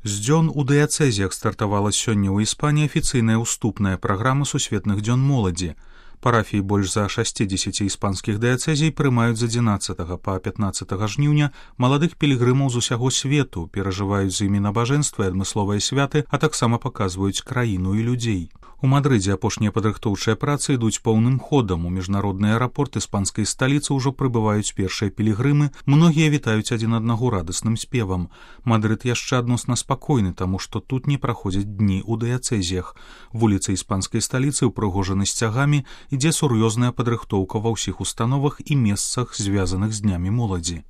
З дзён у дыяцэзіях стартавала сёння ў Іспаніі афіцыйная ўступная праграма сусветных дзён моладзі. Парафіі больш за 60 іспанскіх дыяцэзій прымаюць з 11 па 15 жніўня маладых пілігрымаў з усяго свету, перажываюць з імі набажэнствы і адмысловыя святы, а таксама паказваюць краіну і людзей. У Мадрыдзе апошнія падрыхтоўчыя працы ідуць поўным ходам. У міжнародны аэрапорт іспанскай сталіцы ўжо прыбываюць першыя пілігрымы, многія вітаюць адзін аднаго радасным спевам. Мадрыд яшчэ адносна спакойны, таму што тут не праходзяць дні ў дыяцэзіях. Вуліцы іспанскай сталіцы ўпрыгожаны сцягамі, ідзе сур'ёзная падрыхтоўка ва ўсіх установах і месцах, звязаных з днямі моладзі.